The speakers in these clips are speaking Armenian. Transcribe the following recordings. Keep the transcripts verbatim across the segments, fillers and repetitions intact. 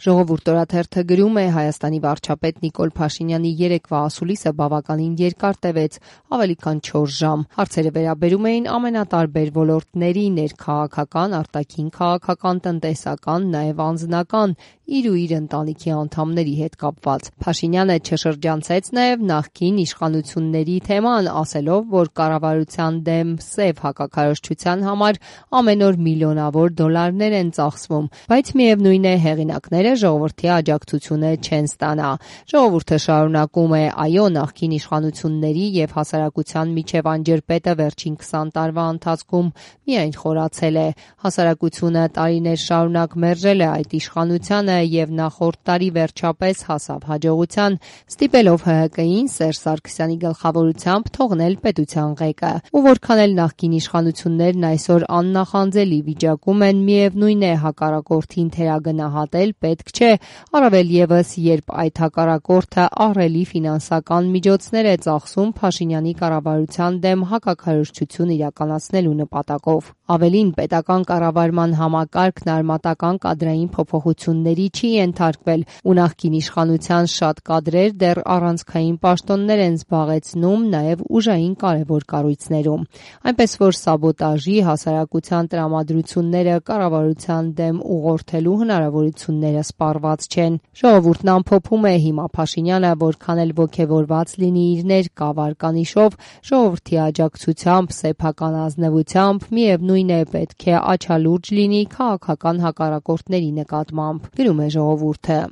Ժողովուրդ օրաթերթը գրում է Հայաստանի վարչապետ Նիկոլ Փաշինյանի երեկվա ասուլիսը բավականին երկար տևեց, ավելի քան չորս ժամ։ Հարցերը վերաբերում էին ամենատարբեր ոլորտների՝ ներքաղաքական, արտաքին քաղաքական, տնտեսական, նաև անձնական, իր ու իր ընտանիքի անդամների հետ կապված։ Փաշինյանը չշրջանցեց նաև նախկին իշխանությունների թեման, ասելով, որ կառավարության դեմ սև հակաքարոզչության համար ամեն օր միլիոնավոր դոլարներ են ծախսվում, բայց միևնույն է, հեղինակները ժողովրդի աջակցությունը չեն ստանա։ Ժողովուրդը շարունակում է, այո, նախկին իշխանությունների եւ հասարակության միջև անջրպետը վերջին քսան տարվա ընթացքում միայն խորացել է։ Հասարակությունը տարիներ շարունակ մերժել է այդ իշխանությանը եւ նախորդ տարի վերջապես հասավ հաջողության, ստիպելով ՀՀԿ-ին Սերժ Սարգսյանի գլխավորությամբ թողնել պետության ղեկը։ Ու որքան էլ նախկին իշխանություններն այսօր աննախանձելի վիճակում են, միևնույն է, հակառակորդին թերագնահատել պետք չէ, առավել ևս, երբ այդ հակառակորդը ահռելի ֆինանսական միջոցներ է ծախսում Փաշինյանի կառավարության դեմ հակաքարոզչություն իրականացնելու նպատակով։ Ավելին, պետական կառավարման համակարգն արմատական կադրային փոփոխությունների չի ենթարկվել, ու նախկին իշխանության շատ կադրեր դեռ առանցքային պաշտոններ են զբաղեցնում նաև ուժային կարևոր կառույցներում։ Այնպես որ սաբոտաժի, հասարակության տրամադրությունները կառավարության դեմ ուղղորդելու հնարավորությունները սպառված չեն։ Ժողովուրդն ամփոփում է, հիմա Փաշինյանը որքան էլ ոգևորված լինի իր ներկա վարկանիշով, ժողովրդի աջակցությամբ, սեփական ազնվությամբ, միևնույն է, պետք է աչալուրջ լինի քաղաքական հակառակորդների նկատմամբ, գրում է ժողովուրդը։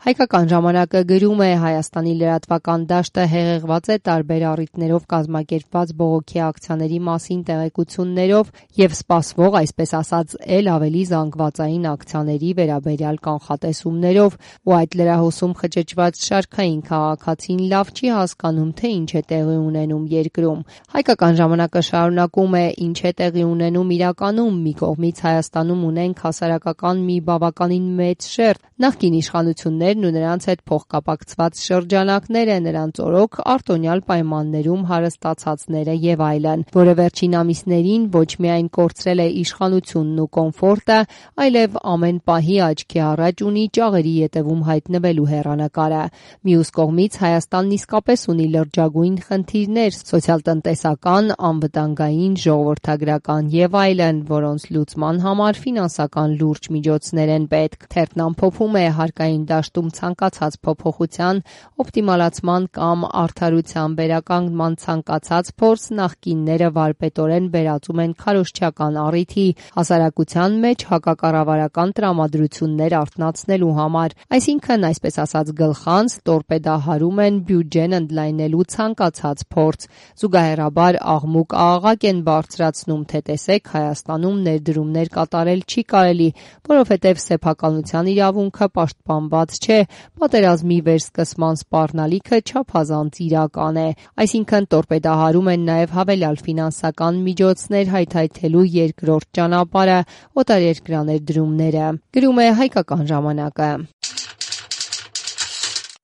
Հայկական ժամանակը գրում է Հայաստանի լրատվական դաշտը հեղեղված է տարբեր առիթներով կազմակերպված բողոքի ակցիաների մասին տեղեկություններով եւ սպասվող, այսպես ասած, էլ ավելի զանգվածային ակցիաների վերաբերյալ կանխատեսումներով, ու այդ լրահոսում խճճված շարքային քաղաքացին լավ չի հասկանում, թե ինչ է տեղի ունենում երկրում։ Հայկական ժամանակը շարունակում է, ինչ է տեղի ունենում իրականում, մի կողմից Հայաստանում ունենք հասարակական մի բավականին մեծ շերտ, նախկին իշխանություններ ու նրանց հետ փոխկապակցված շրջանակները, նրանց օրոք արտոնյալ պայմաններում հարստացածները եւ այլն, որը վերջին ամիսներին ոչ միայն կորցրել է իշխանությունն ու կոմֆորտը, այլև ամեն պահի աչքի առաջ ունի ճաղերի ետևում հայտնվելու հեռանկարը։ Մյուս կողմից Հայաստանն իսկապես ունի լրջագույն խնդիրներ՝ սոցիալ-տնտեսական, անվտանգային, ժողովրդագրական եւ այլն, որոնց լուծման համար ֆինանսական լուրջ միջոցներ են պետք։ Թերթն ամփոփում է, հարկային դաշտում ցանկացած փոփոխության, օպտիմալացման կամ արդարության վերականգնման ցանկացած փորձ նախկինները վարպետորեն վերածում են քարոզչական առիթի, հասարակության մեջ հակակառավարական տրամադրություններ արթնացնելու համար, այսինքն, այսպես ասած, գլխանց տորպեդահարում են բյուջեն ընդլայնելու ցանկացած փորձ։ Զուգահեռաբար աղմուկ-աղաղակ են բարձրացնում, թե տեսեք, Հայաստանում ներդրումներ կատարել չի կարելի, որովհետև սեփականության իրավունքը պաշտպանված չէ, պատերազմի վերսկսման սպառնալիքը չափազանց իրական է։ Այսինքն տորպեդահարում են նաև հավելյալ ֆինանսական միջոցներ հայթայթելու երկրորդ ճանապարհը՝ օտարերկրաներդրումները, գրում է Հայկական ժամանակը։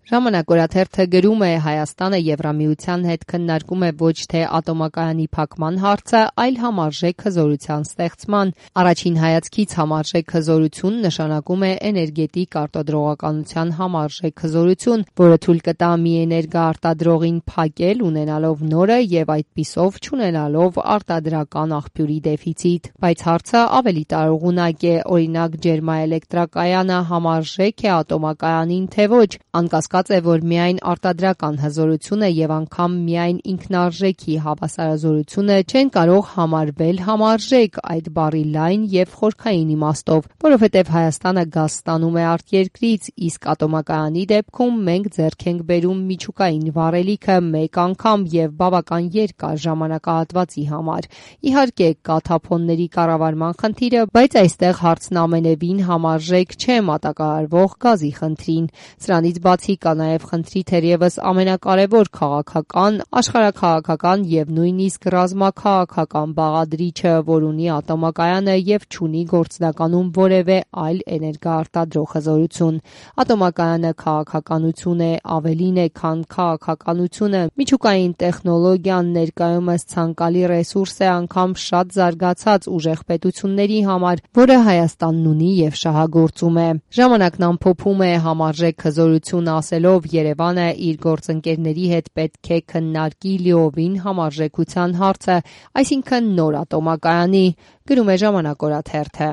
Ժամանակ օրաթերթը գրում է, Հայաստանը Եվրամիության հետ քննարկում է ոչ թե ատոմակայանի փակման հարցը, այլ համարժեք հզորության ստեղծման։ Առաջին հայացքից համարժեք հզորություն նշանակում է էներգետիկ արտադրողականության համարժեք հզորություն, որը թույլ կտա մի էներգաարտադրողին փակել, ունենալով նորը եւ այդպիսով չունենալով արտադրական աղբյուրի դեֆիցիտ։ Բայց հարցը ավելի տարողունակ է, օրինակ ջերմաէլեկտրակայանը համարժեք է ատոմակայանին, թե ոչ, անկասկած է, որ միայն արտադրական հզորությունը եւ անգամ միայն ինքնարժեքի հավասարազորությունը չեն կարող համարվել համարժեք այդ բառի լայն եւ խորքային իմաստով, որովհետեւ Հայաստանը գազ ստանում է արտերկրից, իսկ ատոմակայանի դեպքում մենք ձեռք ենք բերում միջուկային վառելիքը մեկ անգամ եւ բավական երկար ժամանակահատվածի համար։ Իհարկե, կա թափոնների կառավարման խնդիրը, բայց այստեղ հարցն ամենևին համարժեք չէ մատակարարվող գազի խնդրին։ Սրանից բացի կա նաև խնդրի թերևս ամենակարևոր քաղաքական, աշխարհաքաղաքական եւ նույնիսկ ռազմաքաղաքական բաղադրիչը, որ ունի ատոմակայանը եւ չունի գործնականում որևէ այլ էներգոարտադրող հզորություն։ Ատոմակայանը քաղաքականություն է, ավելին է, քան քաղաքականությունը։ Միջուկային տեխնոլոգիան ներկայումս ցանկալի ռեսուրս է անգամ շատ զարգացած ուժեղ պետությունների համար, որը Հայաստանն ունի եւ շահագործում է։ Ժամանակն ամփոփում է համարժեք հզորություն ասելով, Երևանը իր գործընկերների հետ պետք է քննարկի լիովին համարժեքության հարցը, այսինքն նոր ատոմակայանի, գրում է Ժամանակ օրաթերթը։